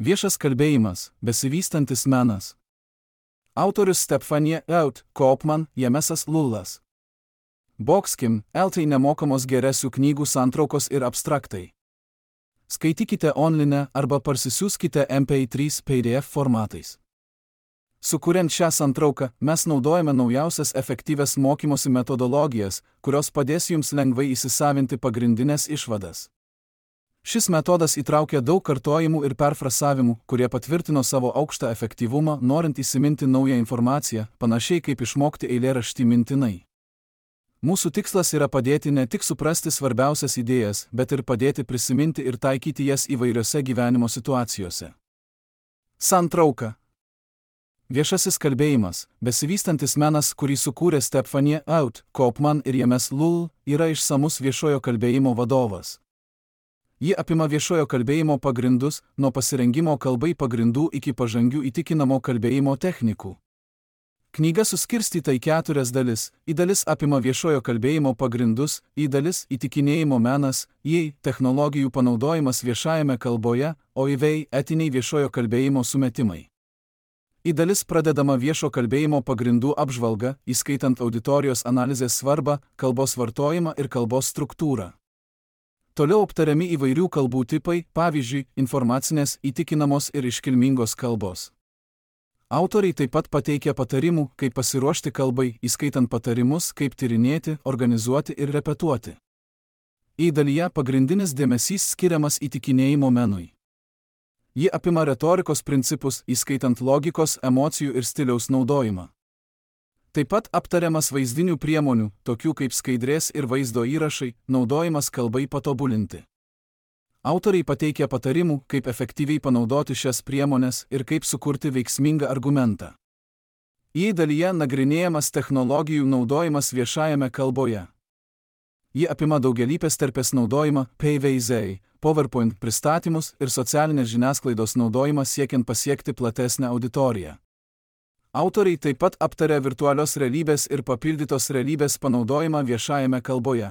Viešas kalbėjimas, besivystantis menas. Autorius Stephanie Out, Kaupman, Jemesas Lullas. Boxkim, LT nemokamos geresių knygų santraukos ir abstraktai. Skaitykite online arba parsisiųskite MP3 PDF formatais. Sukuriant šią santrauką, mes naudojame naujausias efektyvias mokymosi metodologijas, kurios padės jums lengvai įsisavinti pagrindinės išvadas. Šis metodas įtraukia daug kartojimų ir perfrasavimų, kurie patvirtino savo aukštą efektyvumą, norint įsiminti naują informaciją, panašiai kaip išmokti eilėraštį mintinai. Mūsų tikslas yra padėti ne tik suprasti svarbiausias idėjas, bet ir padėti prisiminti ir taikyti jas įvairiose gyvenimo situacijose. Santrauka. Viešasis kalbėjimas, besivystantis menas, kurį sukūrė Stephanie Out, Kaupman ir Jemes Lull, yra išsamus viešojo kalbėjimo vadovas. Ji apima viešojo kalbėjimo pagrindus, nuo pasirengimo kalbai pagrindų iki pažangių įtikinamo kalbėjimo technikų. Knyga suskirstyta į 4 dalis. Į dalis apima viešojo kalbėjimo pagrindus, į dalis įtikinėjimo menas, į technologijų panaudojimas viešajame kalboje, o į vei etiniai viešojo kalbėjimo sumetimai. Į dalis pradedama viešo kalbėjimo pagrindų apžvalga, įskaitant auditorijos analizės svarbą, kalbos vartojimą ir kalbos struktūrą. Toliau aptariami įvairių kalbų tipai, pavyzdžiui, informacinės, įtikinamos ir iškilmingos kalbos. Autoriai taip pat pateikia patarimų, kaip pasiruošti kalbai, įskaitant patarimus, kaip tyrinėti, organizuoti ir repetuoti. Į dalyje pagrindinis dėmesys skiriamas įtikinėjimo menui. Ji apima retorikos principus, įskaitant logikos, emocijų ir stiliaus naudojimą. Taip pat aptariamas vaizdinių priemonių, tokių kaip skaidrės ir vaizdo įrašai, naudojimas kalbai patobulinti. Autoriai pateikia patarimų, kaip efektyviai panaudoti šias priemones ir kaip sukurti veiksmingą argumentą. Į dalyje nagrinėjamas technologijų naudojimas viešajame kalboje. Ji apima daugialypės terpės naudojimą, PVZ, PowerPoint pristatymus ir socialinės žiniasklaidos naudojimą siekiant pasiekti platesnę auditoriją. Autoriai taip pat aptaria virtualios realybės ir papildytos realybės panaudojimą viešajame kalboje.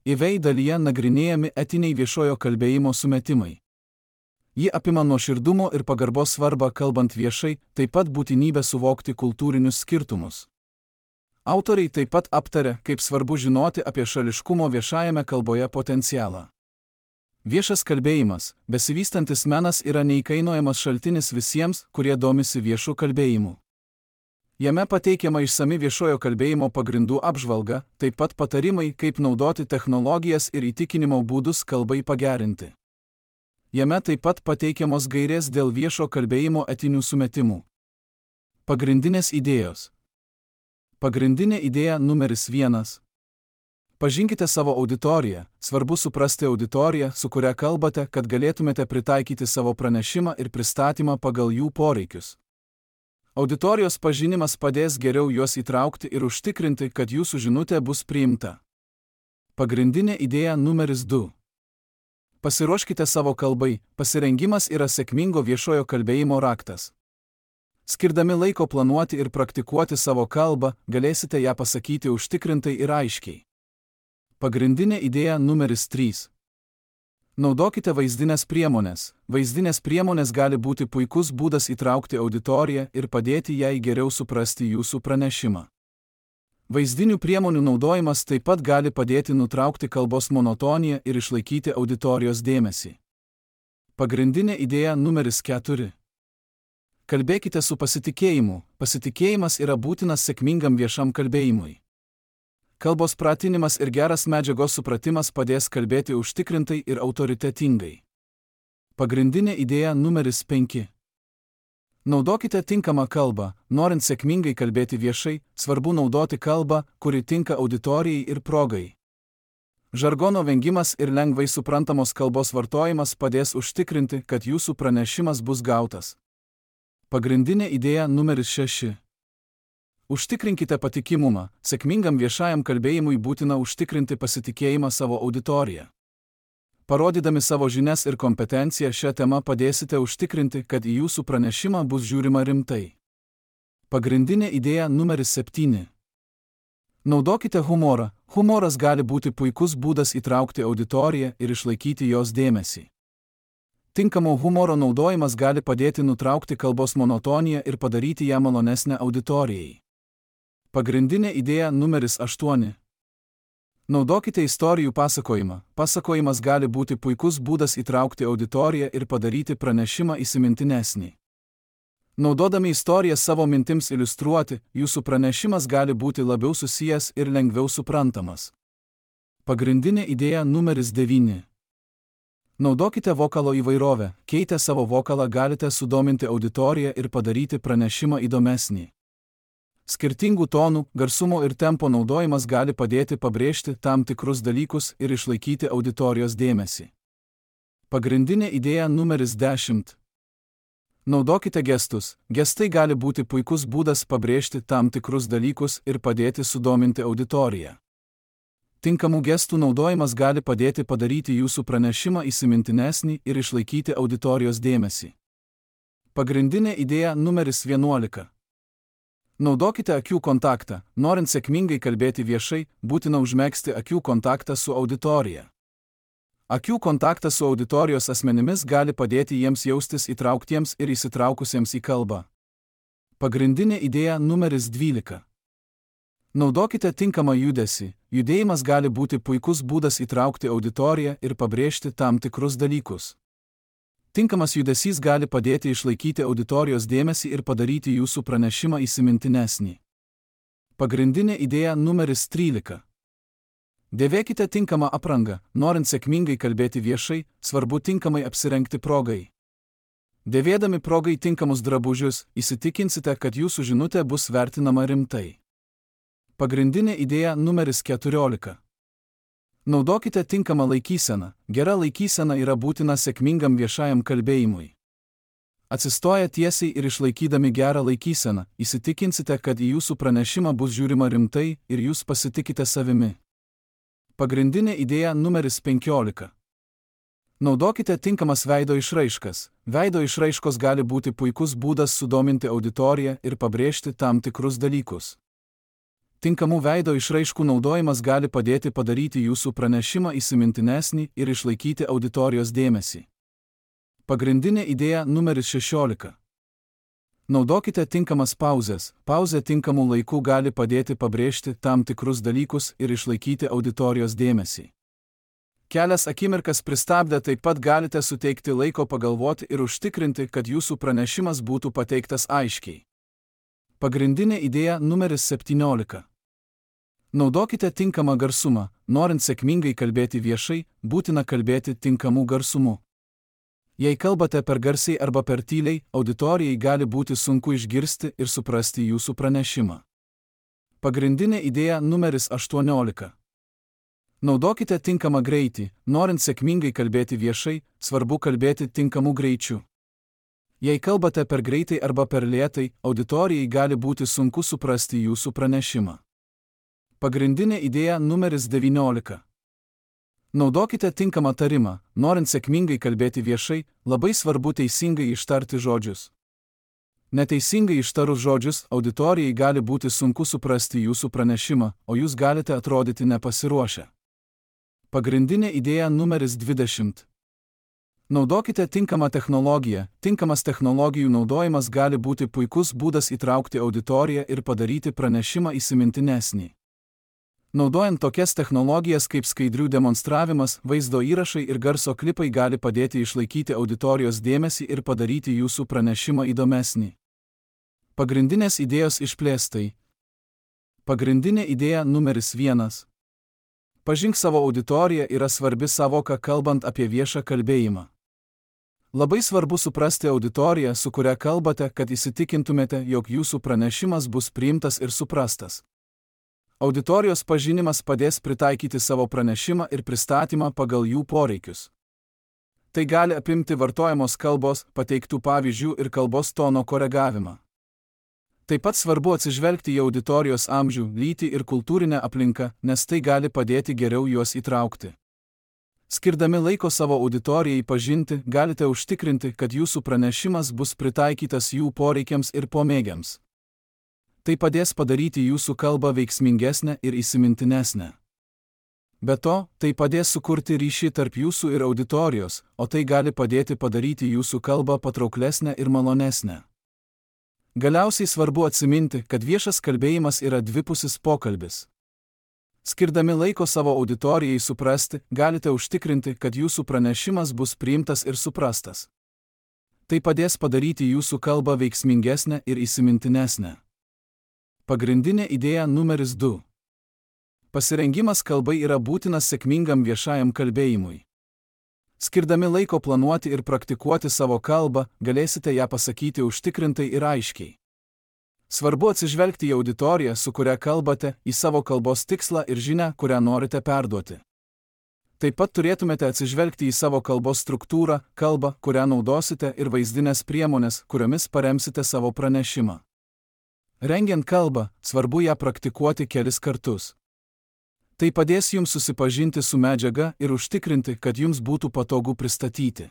Į vei dalyje nagrinėjami etiniai viešojo kalbėjimo sumetimai. Ji apima nuoširdumo ir pagarbos svarbą kalbant viešai, taip pat būtinybę suvokti kultūrinius skirtumus. Autoriai taip pat aptaria, kaip svarbu žinoti apie šališkumo viešajame kalboje potencialą. Viešas kalbėjimas, besivystantis menas yra neįkainojamas šaltinis visiems, kurie domisi viešu kalbėjimu. Jame pateikiama išsami viešojo kalbėjimo pagrindų apžvalga, taip pat patarimai, kaip naudoti technologijas ir įtikinimo būdus kalbai pagerinti. Jame taip pat pateikiamos gairės dėl viešo kalbėjimo etinių sumetimų. Pagrindinės idėjos. Pagrindinė idėja numeris 1. Pažinkite savo auditoriją, svarbu suprasti auditoriją, su kuria kalbate, kad galėtumėte pritaikyti savo pranešimą ir pristatymą pagal jų poreikius. Auditorijos pažinimas padės geriau juos įtraukti ir užtikrinti, kad jūsų žinutė bus priimta. Pagrindinė idėja numeris 2. Pasiruoškite savo kalbai, pasirengimas yra sėkmingo viešojo kalbėjimo raktas. Skirdami laiko planuoti ir praktikuoti savo kalbą, galėsite ją pasakyti užtikrintai ir aiškiai. Pagrindinė idėja numeris 3. Naudokite vaizdinės priemonės. Vaizdinės priemonės gali būti puikus būdas įtraukti auditoriją ir padėti jai geriau suprasti jūsų pranešimą. Vaizdinių priemonių naudojimas taip pat gali padėti nutraukti kalbos monotoniją ir išlaikyti auditorijos dėmesį. Pagrindinė idėja numeris 4. Kalbėkite su pasitikėjimu. Pasitikėjimas yra būtinas sėkmingam viešam kalbėjimui. Kalbos pratinimas ir geras medžiagos supratimas padės kalbėti užtikrintai ir autoritetingai. Pagrindinė idėja numeris 5. Naudokite tinkamą kalbą. Norint sėkmingai kalbėti viešai, svarbu naudoti kalbą, kuri tinka auditorijai ir progai. Žargono vengimas ir lengvai suprantamos kalbos vartojimas padės užtikrinti, kad jūsų pranešimas bus gautas. Pagrindinė idėja numeris 6. Užtikrinkite patikimumą. Sėkmingam viešajam kalbėjimui būtina užtikrinti pasitikėjimą savo auditoriją. Parodydami savo žinias ir kompetenciją šią temą padėsite užtikrinti, kad į jūsų pranešimą bus žiūrima rimtai. Pagrindinė idėja numeris 7. Naudokite humorą. Humoras gali būti puikus būdas įtraukti auditoriją ir išlaikyti jos dėmesį. Tinkamo humoro naudojimas gali padėti nutraukti kalbos monotoniją ir padaryti ją malonesnę auditorijai. Pagrindinė idėja numeris 8. Naudokite istorijų pasakojimą. Pasakojimas gali būti puikus būdas įtraukti auditoriją ir padaryti pranešimą įsimintinesnį. Naudodami istoriją savo mintims iliustruoti, jūsų pranešimas gali būti labiau susijęs ir lengviau suprantamas. Pagrindinė idėja numeris 9. Naudokite vokalo įvairovę. Keitę savo vokalą galite sudominti auditoriją ir padaryti pranešimą įdomesnį. Skirtingų tonų, garsumo ir tempo naudojimas gali padėti pabrėžti tam tikrus dalykus ir išlaikyti auditorijos dėmesį. Pagrindinė idėja numeris 10. Naudokite gestus. Gestai gali būti puikus būdas pabrėžti tam tikrus dalykus ir padėti sudominti auditoriją. Tinkamų gestų naudojimas gali padėti padaryti jūsų pranešimą įsimintinesnį ir išlaikyti auditorijos dėmesį. Pagrindinė idėja numeris 11. Naudokite akių kontaktą. Norint sėkmingai kalbėti viešai, būtina užmegzti akių kontaktą su auditorija. Akių kontaktas su auditorijos asmenimis gali padėti jiems jaustis įtrauktiems ir įsitraukusiems į kalbą. Pagrindinė idėja numeris 12. Naudokite tinkamą judesį. Judėjimas gali būti puikus būdas įtraukti auditoriją ir pabrėžti tam tikrus dalykus. Tinkamas judesys gali padėti išlaikyti auditorijos dėmesį ir padaryti jūsų pranešimą įsimintinesnį. Pagrindinė idėja numeris 13. Dėvėkite tinkamą aprangą. Norint sėkmingai kalbėti viešai, svarbu tinkamai apsirengti progai. Dėvėdami progai tinkamus drabužius, įsitikinsite, kad jūsų žinutė bus vertinama rimtai. Pagrindinė idėja numeris 14. Naudokite tinkamą laikyseną. Gera laikysena yra būtina sėkmingam viešajam kalbėjimui. Atsistoję tiesiai ir išlaikydami gerą laikyseną, įsitikinsite, kad į jūsų pranešimą bus žiūrima rimtai ir jūs pasitikite savimi. Pagrindinė idėja numeris 15. Naudokite tinkamas veido išraiškas. Veido išraiškos gali būti puikus būdas sudominti auditoriją ir pabrėžti tam tikrus dalykus. Tinkamų veido išraiškų naudojimas gali padėti padaryti jūsų pranešimą įsimintinesnį ir išlaikyti auditorijos dėmesį. Pagrindinė idėja numeris 16. Naudokite tinkamas pauzes. Pauzė tinkamų laikų gali padėti pabrėžti tam tikrus dalykus ir išlaikyti auditorijos dėmesį. Kelias akimirkas pristabdę taip pat galite suteikti laiko pagalvoti ir užtikrinti, kad jūsų pranešimas būtų pateiktas aiškiai. Pagrindinė idėja numeris 17. Naudokite tinkamą garsumą. Norint sėkmingai kalbėti viešai, būtina kalbėti tinkamu garsumu. Jei kalbate per garsiai arba per tyliai, auditorijai gali būti sunku išgirsti ir suprasti jūsų pranešimą. Pagrindinė idėja numeris 18. Naudokite tinkamą greitį. Norint sėkmingai kalbėti viešai, svarbu kalbėti tinkamu greičiu. Jei kalbate per greitai arba per lėtai, auditorijai gali būti sunku suprasti jūsų pranešimą. Pagrindinė idėja numeris 19. Naudokite tinkamą tarimą. Norint sėkmingai kalbėti viešai, labai svarbu teisingai ištarti žodžius. Neteisingai ištarus žodžius, auditorijai gali būti sunku suprasti jūsų pranešimą, o jūs galite atrodyti nepasiruošę. Pagrindinė idėja numeris 20. Naudokite tinkamą technologiją. Tinkamas technologijų naudojimas gali būti puikus būdas įtraukti auditoriją ir padaryti pranešimą įsimintinesnį. Naudojant tokias technologijas kaip skaidrių demonstravimas, vaizdo įrašai ir garso klipai gali padėti išlaikyti auditorijos dėmesį ir padaryti jūsų pranešimą įdomesnį. Pagrindinės idėjos išplėstai. Pagrindinė idėja numeris 1. Pažink savo auditoriją yra svarbi savoka kalbant apie viešą kalbėjimą. Labai svarbu suprasti auditoriją, su kuria kalbate, kad įsitikintumėte, jog jūsų pranešimas bus priimtas ir suprastas. Auditorijos pažinimas padės pritaikyti savo pranešimą ir pristatymą pagal jų poreikius. Tai gali apimti vartojamos kalbos, pateiktų pavyzdžių ir kalbos tono koregavimą. Taip pat svarbu atsižvelgti į auditorijos amžių, lytį ir kultūrinę aplinką, nes tai gali padėti geriau juos įtraukti. Skirdami laiko savo auditorijai pažinti, galite užtikrinti, kad jūsų pranešimas bus pritaikytas jų poreikiams ir pomėgiams. Tai padės padaryti jūsų kalbą veiksmingesnę ir įsimintinesnę. Be to, tai padės sukurti ryšį tarp jūsų ir auditorijos, o tai gali padėti padaryti jūsų kalbą patrauklesnę ir malonesnę. Galiausiai svarbu atsiminti, kad viešas kalbėjimas yra dvipusis pokalbis. Skirdami laiko savo auditorijai suprasti, galite užtikrinti, kad jūsų pranešimas bus priimtas ir suprastas. Tai padės padaryti jūsų kalbą veiksmingesnę ir įsimintinesnę. Pagrindinė idėja numeris 2. Pasirengimas kalbai yra būtinas sėkmingam viešajam kalbėjimui. Skirdami laiko planuoti ir praktikuoti savo kalbą, galėsite ją pasakyti užtikrintai ir aiškiai. Svarbu atsižvelgti į auditoriją, su kuria kalbate, į savo kalbos tikslą ir žinią, kurią norite perduoti. Taip pat turėtumėte atsižvelgti į savo kalbos struktūrą, kalbą, kurią naudosite ir vaizdinės priemonės, kuriomis paremsite savo pranešimą. Rengiant kalbą, svarbu ją praktikuoti kelis kartus. Tai padės jums susipažinti su medžiaga ir užtikrinti, kad jums būtų patogu pristatyti.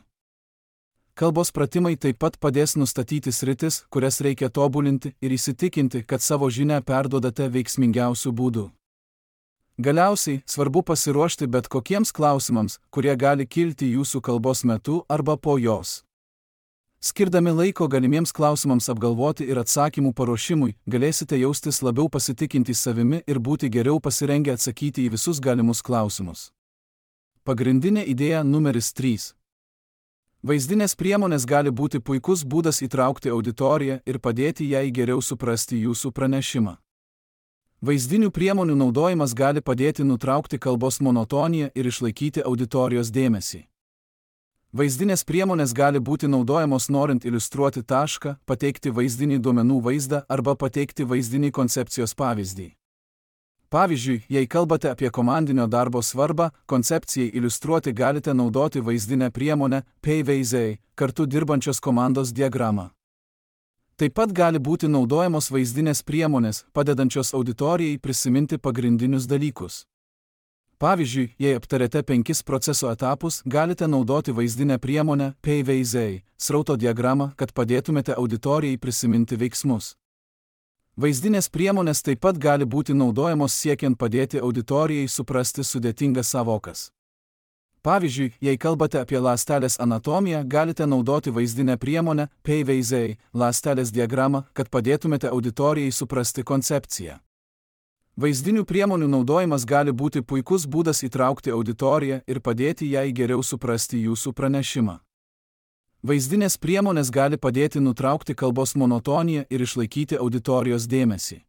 Kalbos pratimai taip pat padės nustatyti sritis, kurias reikia tobulinti ir įsitikinti, kad savo žinią perduodate veiksmingiausiu būdu. Galiausiai, svarbu pasiruošti bet kokiems klausimams, kurie gali kilti jūsų kalbos metu arba po jos. Skirdami laiko galimiems klausimams apgalvoti ir atsakymų paruošimui, galėsite jaustis labiau pasitikintys savimi ir būti geriau pasirengę atsakyti į visus galimus klausimus. Pagrindinė idėja numeris 3. Vaizdinės priemonės gali būti puikus būdas įtraukti auditoriją ir padėti jai geriau suprasti jūsų pranešimą. Vaizdinių priemonių naudojimas gali padėti nutraukti kalbos monotoniją ir išlaikyti auditorijos dėmesį. Vaizdinės priemonės gali būti naudojamos norint iliustruoti tašką, pateikti vaizdinį duomenų vaizdą arba pateikti vaizdinį koncepcijos pavyzdį. Pavyzdžiui, jei kalbate apie komandinio darbo svarbą, koncepcijai iliustruoti galite naudoti vaizdinę priemonę PVZ, kartu dirbančios komandos diagramą. Taip pat gali būti naudojamos vaizdinės priemonės, padedančios auditorijai prisiminti pagrindinius dalykus. Pavyzdžiui, jei aptarėte 5 proceso etapus, galite naudoti vaizdinę priemonę PVZ, srauto diagramą, kad padėtumėte auditorijai prisiminti veiksmus. Vaizdinės priemonės taip pat gali būti naudojamos siekiant padėti auditorijai suprasti sudėtingas sąvokas. Pavyzdžiui, jei kalbate apie ląstelės anatomiją, galite naudoti vaizdinę priemonę PVZ, ląstelės diagramą, kad padėtumėte auditorijai suprasti koncepciją. Vaizdinių priemonių naudojimas gali būti puikus būdas įtraukti auditoriją ir padėti jai geriau suprasti jūsų pranešimą. Vaizdinės priemonės gali padėti nutraukti kalbos monotoniją ir išlaikyti auditorijos dėmesį.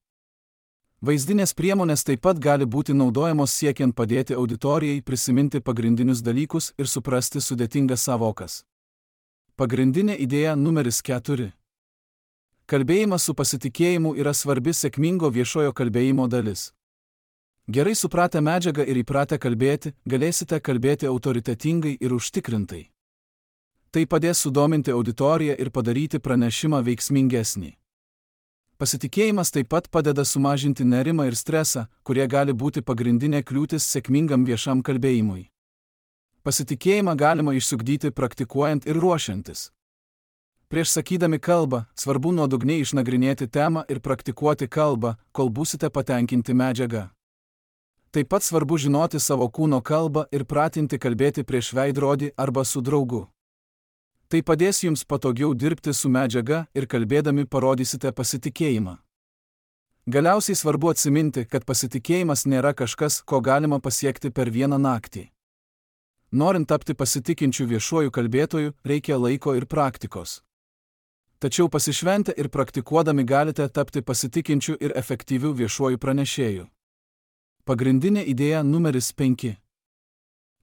Vaizdinės priemonės taip pat gali būti naudojamos siekiant padėti auditorijai prisiminti pagrindinius dalykus ir suprasti sudėtingas sąvokas. Pagrindinė idėja numeris 4. Kalbėjimas su pasitikėjimu yra svarbi sėkmingo viešojo kalbėjimo dalis. Gerai supratę medžiagą ir įpratę kalbėti, galėsite kalbėti autoritetingai ir užtikrintai. Tai padės sudominti auditoriją ir padaryti pranešimą veiksmingesnį. Pasitikėjimas taip pat padeda sumažinti nerimą ir stresą, kurie gali būti pagrindinė kliūtis sėkmingam viešam kalbėjimui. Pasitikėjimą galima išsiugdyti praktikuojant ir ruošiantis. Prieš sakydami kalbą, svarbu nuodugniai išnagrinėti temą ir praktikuoti kalbą, kol būsite patenkinti medžiaga. Taip pat svarbu žinoti savo kūno kalbą ir pratinti kalbėti prieš veidrodį arba su draugu. Tai padės jums patogiau dirbti su medžiaga ir kalbėdami parodysite pasitikėjimą. Galiausiai svarbu atsiminti, kad pasitikėjimas nėra kažkas, ko galima pasiekti per vieną naktį. Norint tapti pasitikinčiu viešuoju kalbėtoju, reikia laiko ir praktikos. Tačiau pasišventę ir praktikuodami galite tapti pasitikinčiu ir efektyviu viešuoju pranešėju. Pagrindinė idėja numeris 5.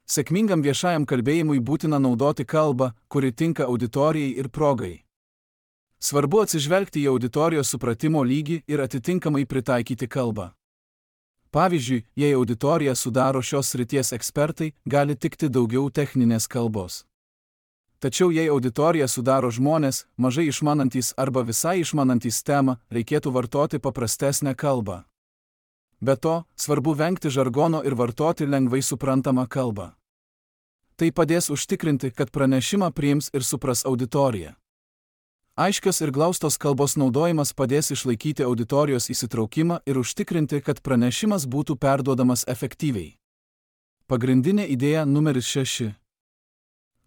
Sėkmingam viešajam kalbėjimui būtina naudoti kalbą, kuri tinka auditorijai ir progai. Svarbu atsižvelgti į auditorijos supratimo lygį ir atitinkamai pritaikyti kalbą. Pavyzdžiui, jei auditoriją sudaro šios srities ekspertai, gali tikti daugiau techninės kalbos. Tačiau jei auditoriją sudaro žmonės, mažai išmanantys arba visai išmanantys temą, reikėtų vartoti paprastesnę kalbą. Be to, svarbu vengti žargono ir vartoti lengvai suprantamą kalbą. Tai padės užtikrinti, kad pranešimą priims ir supras auditorija. Aiškios ir glaustos kalbos naudojimas padės išlaikyti auditorijos įsitraukimą ir užtikrinti, kad pranešimas būtų perduodamas efektyviai. Pagrindinė idėja numeris 6.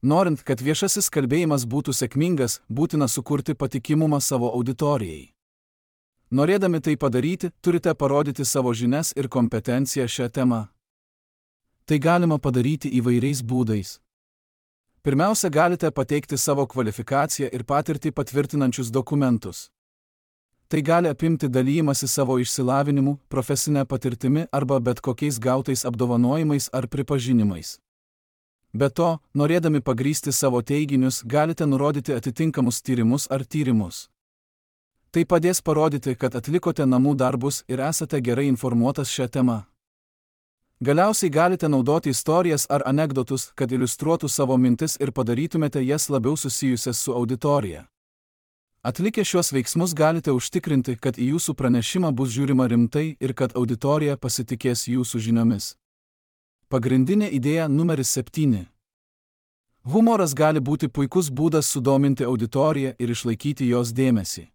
Norint, kad viešasis kalbėjimas būtų sėkmingas, būtina sukurti patikimumą savo auditorijai. Norėdami tai padaryti, turite parodyti savo žinias ir kompetenciją šią temą. Tai galima padaryti įvairiais būdais. Pirmiausia, galite pateikti savo kvalifikaciją ir patirtį patvirtinančius dokumentus. Tai gali apimti dalijimąsi savo išsilavinimu, profesinę patirtimi arba bet kokiais gautais apdovanojimais ar pripažinimais. Be to, norėdami pagrįsti savo teiginius, galite nurodyti atitinkamus tyrimus ar tyrimus. Tai padės parodyti, kad atlikote namų darbus ir esate gerai informuotas šią temą. Galiausiai galite naudoti istorijas ar anekdotus, kad iliustruotų savo mintis ir padarytumėte jas labiau susijusias su auditorija. Atlikę šiuos veiksmus galite užtikrinti, kad į jūsų pranešimą bus žiūrima rimtai ir kad auditorija pasitikės jūsų žiniomis. Pagrindinė idėja numeris 7. Humoras gali būti puikus būdas sudominti auditoriją ir išlaikyti jos dėmesį.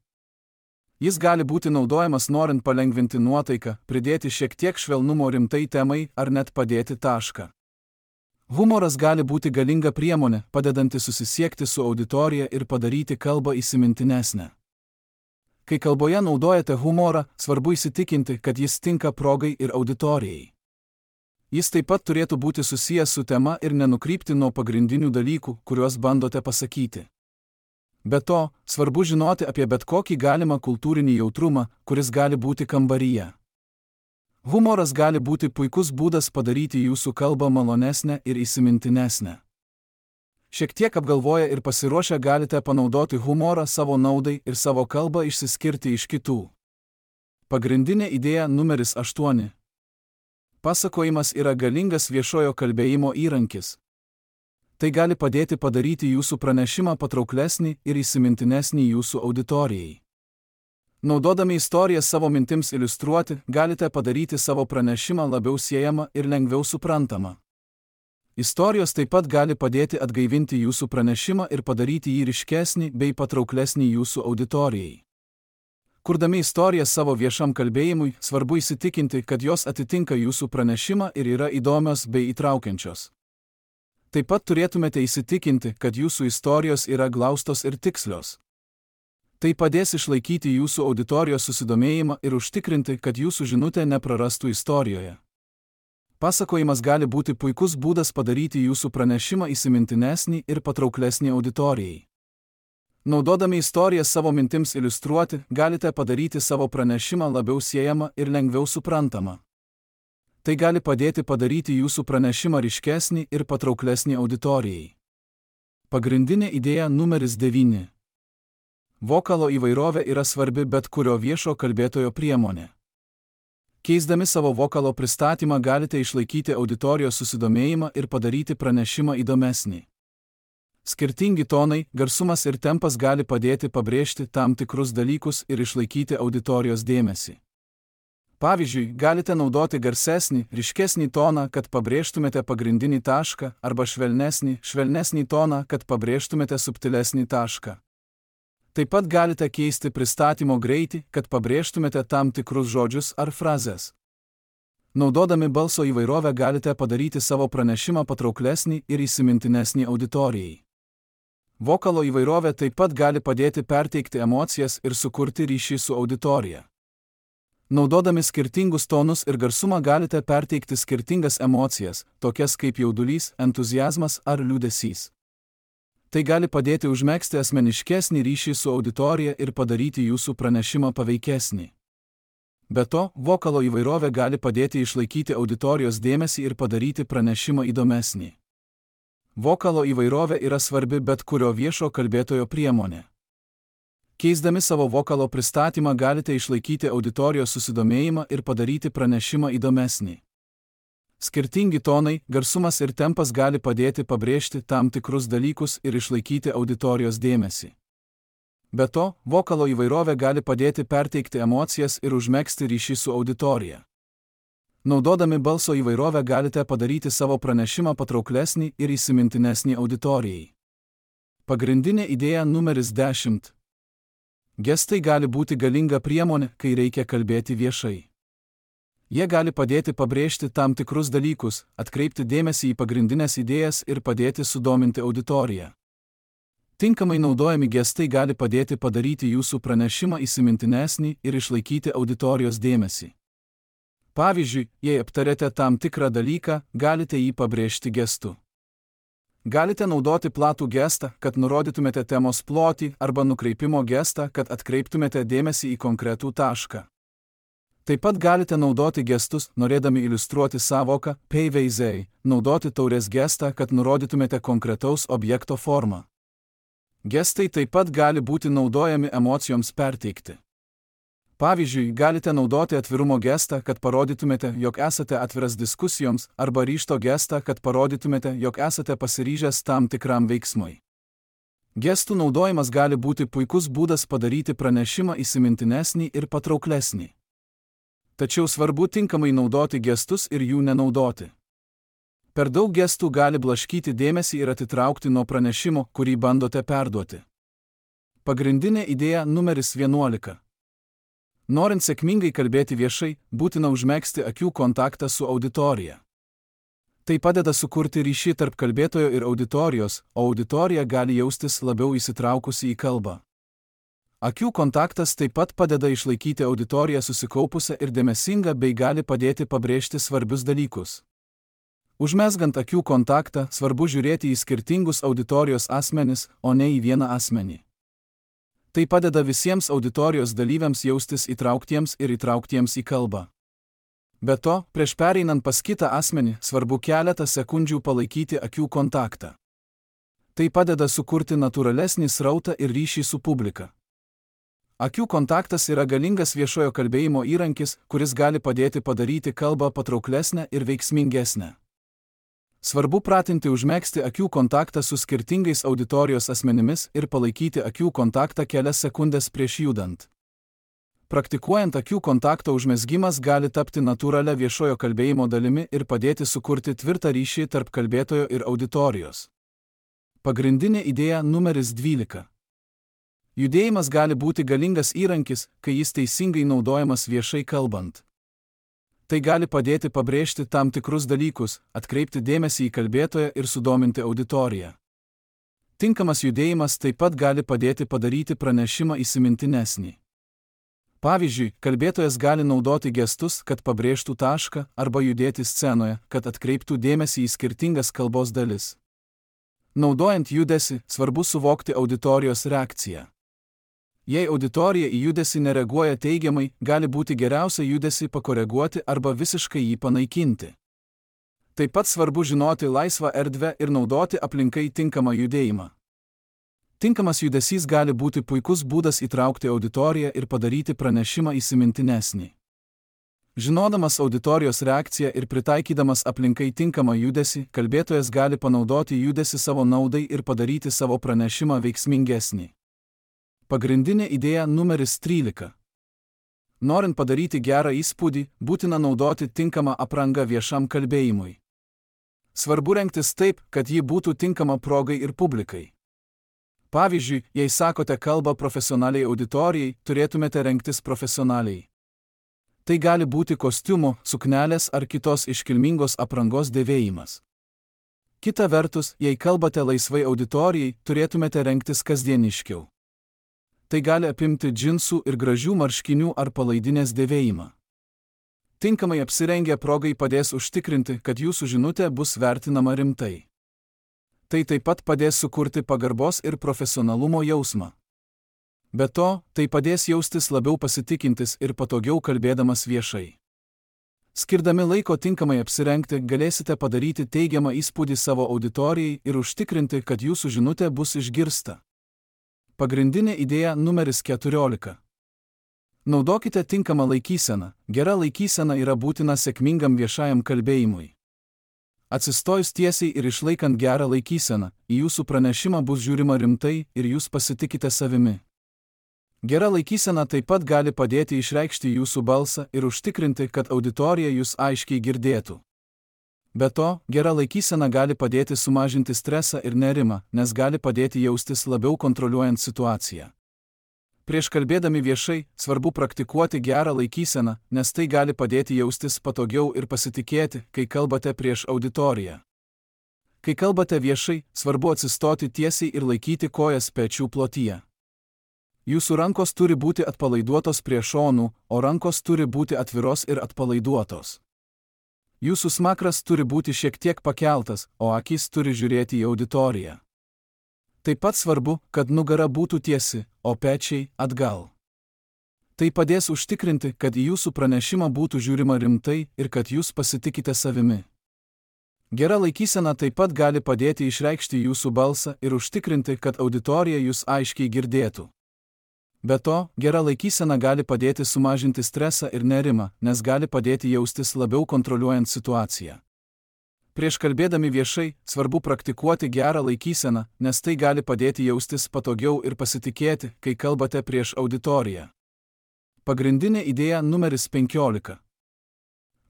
Jis gali būti naudojamas norint palengvinti nuotaiką, pridėti šiek tiek švelnumo rimtai temai ar net padėti tašką. Humoras gali būti galinga priemonė, padedanti susisiekti su auditorija ir padaryti kalbą įsimintinesnę. Kai kalboje naudojate humorą, svarbu įsitikinti, kad jis tinka progai ir auditorijai. Jis taip pat turėtų būti susijęs su tema ir nenukrypti nuo pagrindinių dalykų, kuriuos bandote pasakyti. Be to, svarbu žinoti apie bet kokį galimą kultūrinį jautrumą, kuris gali būti kambaryje. Humoras gali būti puikus būdas padaryti jūsų kalbą malonesnę ir įsimintinesnę. Šiek tiek apgalvoję ir pasiruošę galite panaudoti humorą savo naudai ir savo kalbą išsiskirti iš kitų. Pagrindinė idėja numeris 8. Pasakojimas yra galingas viešojo kalbėjimo įrankis. Tai gali padėti padaryti jūsų pranešimą patrauklesnį ir įsimintinesnį jūsų auditorijai. Naudodami istoriją savo mintims iliustruoti, galite padaryti savo pranešimą labiau siejamą ir lengviau suprantamą. Istorijos taip pat gali padėti atgaivinti jūsų pranešimą ir padaryti jį ryškesnį bei patrauklesnį jūsų auditorijai. Kurdami istoriją savo viešam kalbėjimui, svarbu įsitikinti, kad jos atitinka jūsų pranešimą ir yra įdomios bei įtraukiančios. Taip pat turėtumėte įsitikinti, kad jūsų istorijos yra glaustos ir tikslios. Tai padės išlaikyti jūsų auditorijos susidomėjimą ir užtikrinti, kad jūsų žinutė neprarastų istorijoje. Pasakojimas gali būti puikus būdas padaryti jūsų pranešimą įsimintinesnį ir patrauklesnį auditorijai. Naudodami istoriją savo mintims iliustruoti, galite padaryti savo pranešimą labiau siejamą ir lengviau suprantamą. Tai gali padėti padaryti jūsų pranešimą ryškesnį ir patrauklesnį auditorijai. Pagrindinė idėja numeris 9. Vokalo įvairovė yra svarbi bet kurio viešo kalbėtojo priemonė. Keisdami savo vokalo pristatymą galite išlaikyti auditorijos susidomėjimą ir padaryti pranešimą įdomesnį. Skirtingi tonai, garsumas ir tempas gali padėti pabrėžti tam tikrus dalykus ir išlaikyti auditorijos dėmesį. Pavyzdžiui, galite naudoti garsesnį, ryškesnį toną, kad pabrėžtumėte pagrindinį tašką, arba švelnesnį toną, kad pabrėžtumėte subtilesnį tašką. Taip pat galite keisti pristatymo greitį, kad pabrėžtumėte tam tikrus žodžius ar frazes. Naudodami balso įvairovę galite padaryti savo pranešimą patrauklesnį ir įsimintinesnį auditorijai. Vokalo įvairovė taip pat gali padėti perteikti emocijas ir sukurti ryšį su auditorija. Naudodami skirtingus tonus ir garsumą galite perteikti skirtingas emocijas, tokias kaip jaudulys, entuziazmas ar liūdesys. Tai gali padėti užmegzti asmeniškesnį ryšį su auditorija ir padaryti jūsų pranešimą paveikesnį. Be to, vokalo įvairovė gali padėti išlaikyti auditorijos dėmesį ir padaryti pranešimą įdomesnį. Vokalo įvairovė yra svarbi bet kurio viešo kalbėtojo priemonė. Keisdami savo vokalo pristatymą galite išlaikyti auditorijos susidomėjimą ir padaryti pranešimą įdomesnį. Skirtingi tonai, garsumas ir tempas gali padėti pabrėžti tam tikrus dalykus ir išlaikyti auditorijos dėmesį. Be to, vokalo įvairovė gali padėti perteikti emocijas ir užmegzti ryšį su auditorija. Naudodami balso įvairovę galite padaryti savo pranešimą patrauklesnį ir įsimintinesnį auditorijai. Pagrindinė idėja numeris 10. Gestai gali būti galinga priemonė, kai reikia kalbėti viešai. Jie gali padėti pabrėžti tam tikrus dalykus, atkreipti dėmesį į pagrindinės idėjas ir padėti sudominti auditoriją. Tinkamai naudojami gestai gali padėti padaryti jūsų pranešimą įsimintinesnį ir išlaikyti auditorijos dėmesį. Pavyzdžiui, jei aptarėte tam tikrą dalyką, galite jį pabrėžti gestu. Galite naudoti platų gestą, kad nurodytumėte temos plotį, arba nukreipimo gestą, kad atkreiptumėte dėmesį į konkretų tašką. Taip pat galite naudoti gestus, norėdami iliustruoti sąvoką peiveizei, naudoti taurės gestą, kad nurodytumėte konkretaus objekto formą. Gestai taip pat gali būti naudojami emocijoms perteikti. Pavyzdžiui, galite naudoti atvirumo gestą, kad parodytumėte, jog esate atviras diskusijoms, arba ryžto gestą, kad parodytumėte, jog esate pasiryžęs tam tikram veiksmui. Gestų naudojimas gali būti puikus būdas padaryti pranešimą įsimintinesnį ir patrauklesnį. Tačiau svarbu tinkamai naudoti gestus ir jų nenaudoti. Per daug gestų gali blaškyti dėmesį ir atitraukti nuo pranešimo, kurį bandote perduoti. Pagrindinė idėja numeris 11. Norint sėkmingai kalbėti viešai, būtina užmegzti akių kontaktą su auditorija. Tai padeda sukurti ryšį tarp kalbėtojo ir auditorijos, o auditorija gali jaustis labiau įsitraukusi į kalbą. Akių kontaktas taip pat padeda išlaikyti auditoriją susikaupusią ir dėmesingą bei gali padėti pabrėžti svarbius dalykus. Užmezgant akių kontaktą, svarbu žiūrėti į skirtingus auditorijos asmenis, o ne į vieną asmenį. Tai padeda visiems auditorijos dalyviams jaustis įtrauktiems ir įtrauktiems į kalbą. Be to, prieš pereinant pas kitą asmenį, svarbu keletą sekundžių palaikyti akių kontaktą. Tai padeda sukurti natūralesnį srautą ir ryšį su publika. Akių kontaktas yra galingas viešojo kalbėjimo įrankis, kuris gali padėti padaryti kalbą patrauklesnę ir veiksmingesnę. Svarbu pratinti užmegzti akių kontaktą su skirtingais auditorijos asmenimis ir palaikyti akių kontaktą kelias sekundės prieš judant. Praktikuojant akių kontakto užmezgimas gali tapti natūralia viešojo kalbėjimo dalimi ir padėti sukurti tvirtą ryšį tarp kalbėtojo ir auditorijos. Pagrindinė idėja numeris 12. Judėjimas gali būti galingas įrankis, kai jis teisingai naudojamas viešai kalbant. Tai gali padėti pabrėžti tam tikrus dalykus, atkreipti dėmesį į kalbėtoją ir sudominti auditoriją. Tinkamas judėjimas taip pat gali padėti padaryti pranešimą įsimintinesnį. Pavyzdžiui, kalbėtojas gali naudoti gestus, kad pabrėžtų tašką, arba judėti scenoje, kad atkreiptų dėmesį į skirtingas kalbos dalis. Naudojant judesį, svarbu suvokti auditorijos reakciją. Jei auditorija į judesį nereaguoja teigiamai, gali būti geriausia judesį pakoreguoti arba visiškai jį panaikinti. Taip pat svarbu žinoti laisvą erdvę ir naudoti aplinkai tinkamą judėjimą. Tinkamas judesys gali būti puikus būdas įtraukti auditoriją ir padaryti pranešimą įsimintinesnį. Žinodamas auditorijos reakciją ir pritaikydamas aplinkai tinkamą judesį, kalbėtojas gali panaudoti judesį savo naudai ir padaryti savo pranešimą veiksmingesnį. Pagrindinė idėja numeris 13. Norint padaryti gerą įspūdį, būtina naudoti tinkamą aprangą viešam kalbėjimui. Svarbu rengtis taip, kad ji būtų tinkama progai ir publikai. Pavyzdžiui, jei sakote kalbą profesionaliai auditorijai, turėtumėte rengtis profesionaliai. Tai gali būti kostiumo, suknelės ar kitos iškilmingos aprangos dėvėjimas. Kita vertus, jei kalbate laisvai auditorijai, turėtumėte rengtis kasdieniškiau. Tai gali apimti džinsų ir gražių marškinių ar palaidinės dėvėjimą. Tinkamai apsirengę progai padės užtikrinti, kad jūsų žinutė bus vertinama rimtai. Tai taip pat padės sukurti pagarbos ir profesionalumo jausmą. Be to, tai padės jaustis labiau pasitikintis ir patogiau kalbėdamas viešai. Skirdami laiko tinkamai apsirengti, galėsite padaryti teigiamą įspūdį savo auditorijai ir užtikrinti, kad jūsų žinutė bus išgirsta. Pagrindinė idėja numeris 14. Naudokite tinkamą laikyseną. Gera laikysena yra būtina sėkmingam viešajam kalbėjimui. Atsistojus tiesiai ir išlaikant gerą laikyseną, į jūsų pranešimą bus žiūrima rimtai ir jūs pasitikite savimi. Gera laikysena taip pat gali padėti išreikšti jūsų balsą ir užtikrinti, kad auditorija jūs aiškiai girdėtų. Be to, gera laikysena gali padėti sumažinti stresą ir nerimą, nes gali padėti jaustis labiau kontroliuojant situaciją. Prieš kalbėdami viešai, svarbu praktikuoti gerą laikyseną, nes tai gali padėti jaustis patogiau ir pasitikėti, kai kalbate prieš auditoriją. Kai kalbate viešai, svarbu atsistoti tiesiai ir laikyti kojas pečių plotyje. Jūsų rankos turi būti atpalaiduotos prie šonų, o rankos turi būti atviros ir atpalaiduotos. Jūsų smakras turi būti šiek tiek pakeltas, o akys turi žiūrėti į auditoriją. Taip pat svarbu, kad nugara būtų tiesi, o pečiai atgal. Tai padės užtikrinti, kad į jūsų pranešimą būtų žiūrima rimtai ir kad jūs pasitikite savimi. Gera laikysena taip pat gali padėti išreikšti jūsų balsą ir užtikrinti, kad auditorija jūs aiškiai girdėtų. Be to, gera laikysena gali padėti sumažinti stresą ir nerimą, nes gali padėti jaustis labiau kontroliuojant situaciją. Prieš kalbėdami viešai, svarbu praktikuoti gerą laikyseną, nes tai gali padėti jaustis patogiau ir pasitikėti, kai kalbate prieš auditoriją. Pagrindinė idėja numeris 15.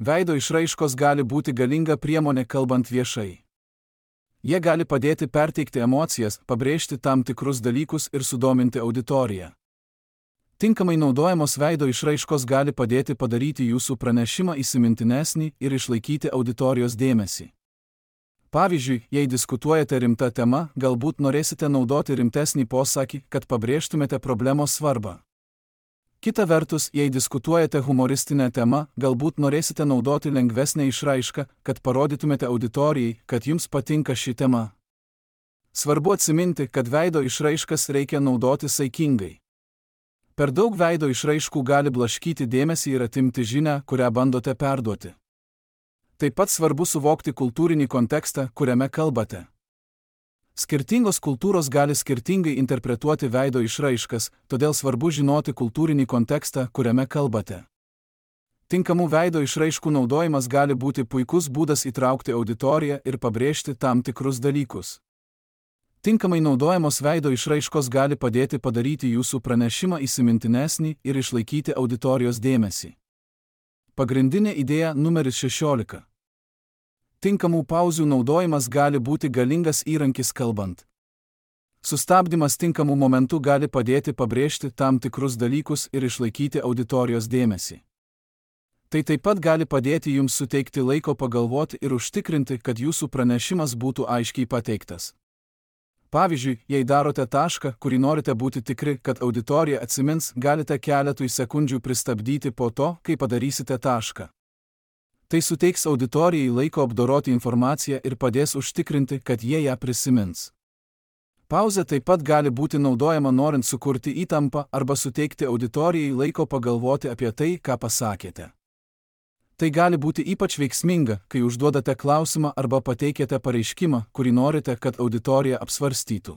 Veido išraiškos gali būti galinga priemonė kalbant viešai. Jie gali padėti perteikti emocijas, pabrėžti tam tikrus dalykus ir sudominti auditoriją. Tinkamai naudojamos veido išraiškos gali padėti padaryti jūsų pranešimą įsimintinesnį ir išlaikyti auditorijos dėmesį. Pavyzdžiui, jei diskutuojate rimta tema, galbūt norėsite naudoti rimtesnį posakį, kad pabrėžtumėte problemos svarbą. Kita vertus, jei diskutuojate humoristinę temą, galbūt norėsite naudoti lengvesnę išraišką, kad parodytumėte auditorijai, kad jums patinka ši tema. Svarbu atsiminti, kad veido išraiškas reikia naudoti saikingai. Per daug veido išraiškų gali blaškyti dėmesį ir atimti žinią, kurią bandote perduoti. Taip pat svarbu suvokti kultūrinį kontekstą, kuriame kalbate. Skirtingos kultūros gali skirtingai interpretuoti veido išraiškas, todėl svarbu žinoti kultūrinį kontekstą, kuriame kalbate. Tinkamų veido išraiškų naudojimas gali būti puikus būdas įtraukti auditoriją ir pabrėžti tam tikrus dalykus. Tinkamai naudojamos veido išraiškos gali padėti padaryti jūsų pranešimą įsimintinesnį ir išlaikyti auditorijos dėmesį. Pagrindinė idėja numeris 16. Tinkamų pauzių naudojimas gali būti galingas įrankis kalbant. Sustabdymas tinkamų momentų gali padėti pabrėžti tam tikrus dalykus ir išlaikyti auditorijos dėmesį. Tai taip pat gali padėti jums suteikti laiko pagalvoti ir užtikrinti, kad jūsų pranešimas būtų aiškiai pateiktas. Pavyzdžiui, jei darote tašką, kurį norite būti tikri, kad auditorija atsimins, galite keletui sekundžių pristabdyti po to, kai padarysite tašką. Tai suteiks auditorijai laiko apdoroti informaciją ir padės užtikrinti, kad jie ją prisimins. Pauzė taip pat gali būti naudojama norint sukurti įtampą arba suteikti auditorijai laiko pagalvoti apie tai, ką pasakėte. Tai gali būti ypač veiksminga, kai užduodate klausimą arba pateikėte pareiškimą, kurį norite, kad auditorija apsvarstytų.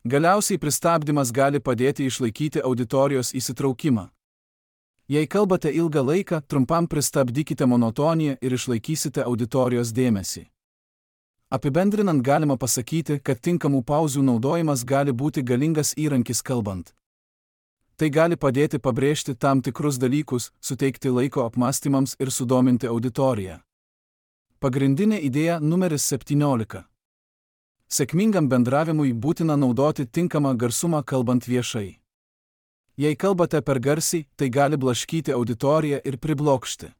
Galiausiai pristabdymas gali padėti išlaikyti auditorijos įsitraukimą. Jei kalbate ilgą laiką, trumpam pristabdykite monotoniją ir išlaikysite auditorijos dėmesį. Apibendrinant galima pasakyti, kad tinkamų pauzių naudojimas gali būti galingas įrankis kalbant. Tai gali padėti pabrėžti tam tikrus dalykus, suteikti laiko apmąstymams ir sudominti auditoriją. Pagrindinė idėja numeris 17. Sėkmingam bendravimui būtina naudoti tinkamą garsumą kalbant viešai. Jei kalbate per garsiai, tai gali blaškyti auditoriją ir priblokšti.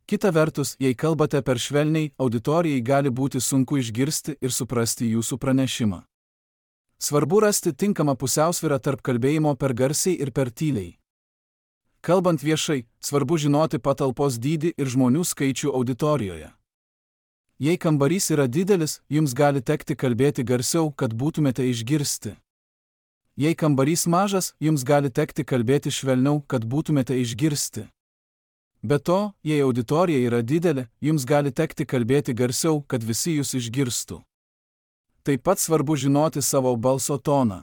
Kita vertus, jei kalbate per švelniai, auditorijai gali būti sunku išgirsti ir suprasti jūsų pranešimą. Svarbu rasti tinkamą pusiausvyrą tarp kalbėjimo per garsiai ir per tyliai. Kalbant viešai, svarbu žinoti patalpos dydį ir žmonių skaičių auditorijoje. Jei kambarys yra didelis, jums gali tekti kalbėti garsiau, kad būtumėte išgirsti. Jei kambarys mažas, jums gali tekti kalbėti švelniau, kad būtumėte išgirsti. Be to, jei auditorija yra didelė, jums gali tekti kalbėti garsiau, kad visi jūs išgirstų. Taip pat svarbu žinoti savo balso toną.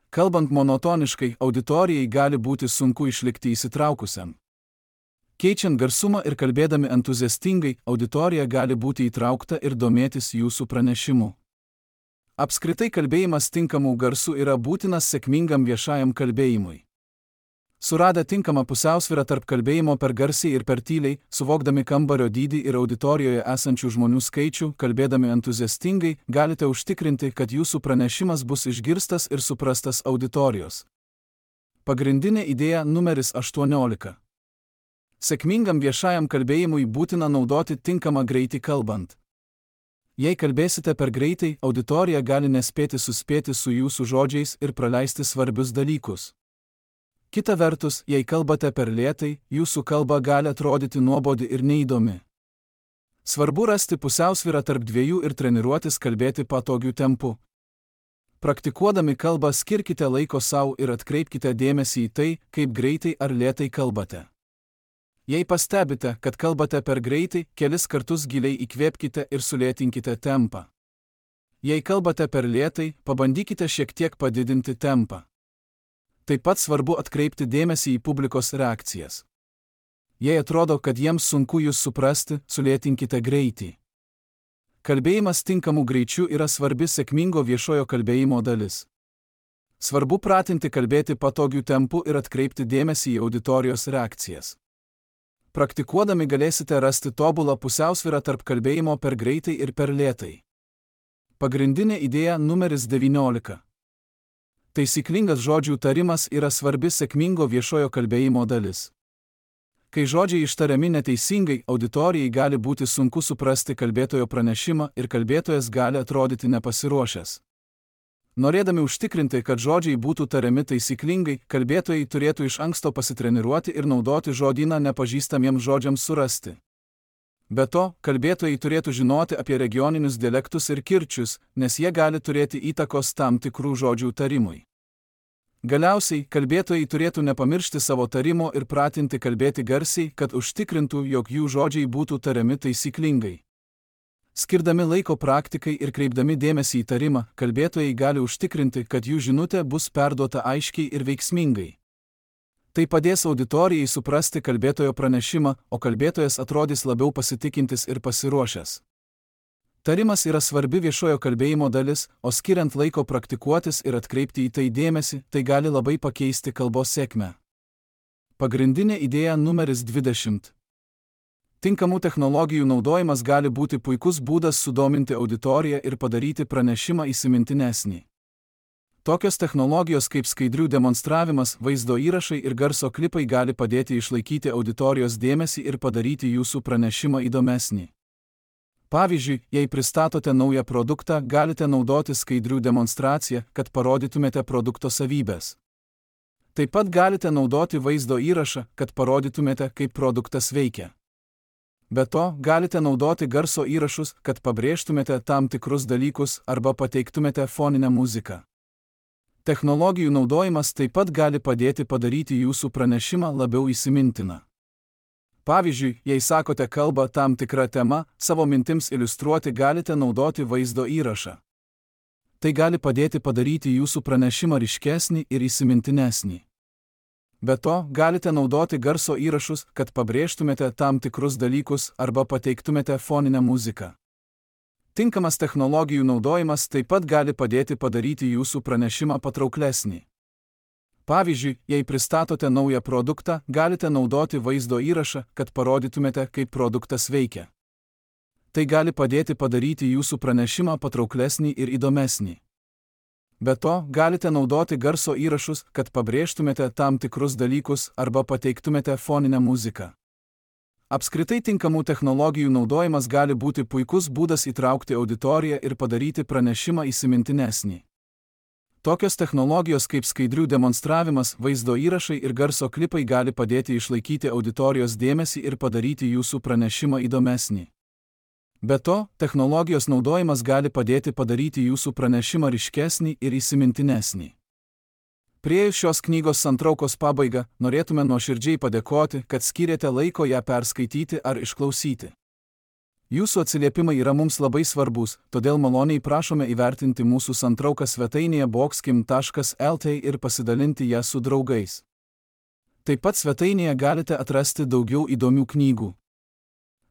Kalbant monotoniškai, auditorijai gali būti sunku išlikti įsitraukusiam. Keičiant garsumą ir kalbėdami entuziastingai, auditorija gali būti įtraukta ir domėtis jūsų pranešimu. Apskritai kalbėjimas tinkamų garsų yra būtinas sėkmingam viešajam kalbėjimui. Suradę tinkamą pusiausvyrą tarp kalbėjimo per garsiai ir per tyliai, suvokdami kambario dydį ir auditorijoje esančių žmonių skaičių, kalbėdami entuziastingai, galite užtikrinti, kad jūsų pranešimas bus išgirstas ir suprastas auditorijos. Pagrindinė idėja numeris 18. Sėkmingam viešajam kalbėjimui būtina naudoti tinkamą greitį kalbant. Jei kalbėsite per greitai, auditorija gali nespėti suspėti su jūsų žodžiais ir praleisti svarbius dalykus. Kita vertus, jei kalbate per lėtai, jūsų kalba gali atrodyti nuobodi ir neįdomi. Svarbu rasti pusiausvyrą tarp dviejų ir treniruotis kalbėti patogiu tempu. Praktikuodami kalbą skirkite laiko savo ir atkreipkite dėmesį į tai, kaip greitai ar lėtai kalbate. Jei pastebite, kad kalbate per greitai, kelis kartus giliai įkvėpkite ir sulėtinkite tempą. Jei kalbate per lėtai, pabandykite šiek tiek padidinti tempą. Taip pat svarbu atkreipti dėmesį į publikos reakcijas. Jei atrodo, kad jiems sunku jūs suprasti, sulėtinkite greitį. Kalbėjimas tinkamu greičiu yra svarbi sėkmingo viešojo kalbėjimo dalis. Svarbu pratinti kalbėti patogiu tempu ir atkreipti dėmesį į auditorijos reakcijas. Praktikuodami galėsite rasti tobulą pusiausvyrą tarp kalbėjimo per greitai ir per lėtai. Pagrindinė idėja numeris 19. Taisyklingas žodžių tarimas yra svarbi sėkmingo viešojo kalbėjimo dalis. Kai žodžiai ištariami neteisingai, auditorijai gali būti sunku suprasti kalbėtojo pranešimą ir kalbėtojas gali atrodyti nepasiruošęs. Norėdami užtikrinti, kad žodžiai būtų tariami taisyklingai, kalbėtojai turėtų iš anksto pasitreniruoti ir naudoti žodyną nepažįstamiems žodžiams surasti. Be to, kalbėtojai turėtų žinoti apie regioninius dialektus ir kirčius, nes jie gali turėti įtakos tam tikrų žodžių tarimui. Galiausiai, kalbėtojai turėtų nepamiršti savo tarimo ir pratinti kalbėti garsiai, kad užtikrintų, jog jų žodžiai būtų tariami taisyklingai. Skirdami laiko praktikai ir kreipdami dėmesį į tarimą, kalbėtojai gali užtikrinti, kad jų žinutė bus perduota aiškiai ir veiksmingai. Tai padės auditorijai suprasti kalbėtojo pranešimą, o kalbėtojas atrodys labiau pasitikintis ir pasiruošęs. Tarimas yra svarbi viešojo kalbėjimo dalis, o skiriant laiko praktikuotis ir atkreipti į tai dėmesį, tai gali labai pakeisti kalbos sėkmę. Pagrindinė idėja numeris 20. Tinkamų technologijų naudojimas gali būti puikus būdas sudominti auditoriją ir padaryti pranešimą įsimintinesnį. Tokios technologijos kaip skaidrių demonstravimas, vaizdo įrašai ir garso klipai gali padėti išlaikyti auditorijos dėmesį ir padaryti jūsų pranešimą įdomesnį. Pavyzdžiui, jei pristatote naują produktą, galite naudoti skaidrių demonstraciją, kad parodytumėte produkto savybės. Taip pat galite naudoti vaizdo įrašą, kad parodytumėte, kaip produktas veikia. Be to, galite naudoti garso įrašus, kad pabrėžtumėte tam tikrus dalykus arba pateiktumėte foninę muziką. Technologijų naudojimas taip pat gali padėti padaryti jūsų pranešimą labiau įsimintiną. Pavyzdžiui, jei sakote kalbą tam tikrą temą, savo mintims iliustruoti galite naudoti vaizdo įrašą. Tai gali padėti padaryti jūsų pranešimą ryškesnį ir įsimintinesnį. Be to, galite naudoti garso įrašus, kad pabrėžtumėte tam tikrus dalykus arba pateiktumėte foninę muziką. Tinkamas technologijų naudojimas taip pat gali padėti padaryti jūsų pranešimą patrauklesnį. Pavyzdžiui, jei pristatote naują produktą, galite naudoti vaizdo įrašą, kad parodytumėte, kaip produktas veikia. Tai gali padėti padaryti jūsų pranešimą patrauklesnį ir įdomesnį. Be to, galite naudoti garso įrašus, kad pabrėžtumėte tam tikrus dalykus arba pateiktumėte foninę muziką. Apskritai tinkamų technologijų naudojimas gali būti puikus būdas įtraukti auditoriją ir padaryti pranešimą įsimintinesnį. Tokios technologijos kaip skaidrių demonstravimas, vaizdo įrašai ir garso klipai gali padėti išlaikyti auditorijos dėmesį ir padaryti jūsų pranešimą įdomesnį. Be to, technologijos naudojimas gali padėti padaryti jūsų pranešimą ryškesnį ir įsimintinesnį. Priėjus šios knygos santraukos pabaigą, norėtume nuoširdžiai padėkoti, kad skyrėte laiko ją perskaityti ar išklausyti. Jūsų atsiliepimai yra mums labai svarbus, todėl maloniai prašome įvertinti mūsų santrauką svetainėje boxkim.lt ir pasidalinti ją su draugais. Taip pat svetainėje galite atrasti daugiau įdomių knygų.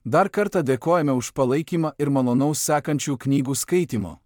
Dar kartą dėkojame už palaikymą ir malonaus sekančių knygų skaitimo.